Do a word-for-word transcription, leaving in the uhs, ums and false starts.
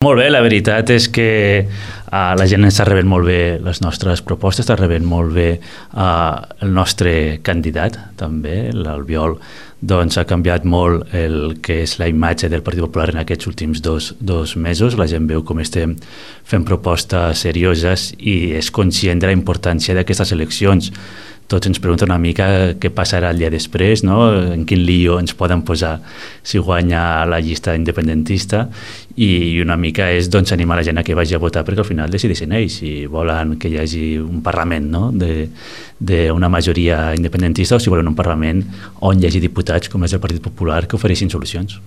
Molt bé, la veritat és que uh, la gent està rebent molt bé les nostres propostes, està rebent molt bé uh, el nostre candidat, també, l'Albiol, doncs ha canviat molt el que és la imatge del Partit Popular en aquests últims dos, dos mesos. La gent veu com estem fent propostes serioses i és conscient de la importància d'aquestes eleccions. Tots ens pregunten una mica què passarà el dia després, no? En quin lío ens poden posar si guanya la llista independentista, i una mica és doncs, animar la gent a que vagi a votar perquè al final decideixen ells si volen que hi hagi un Parlament, no? d'una majoria independentista, o si volen un Parlament on hi hagi diputats, com és el Partit Popular, que ofereixin solucions.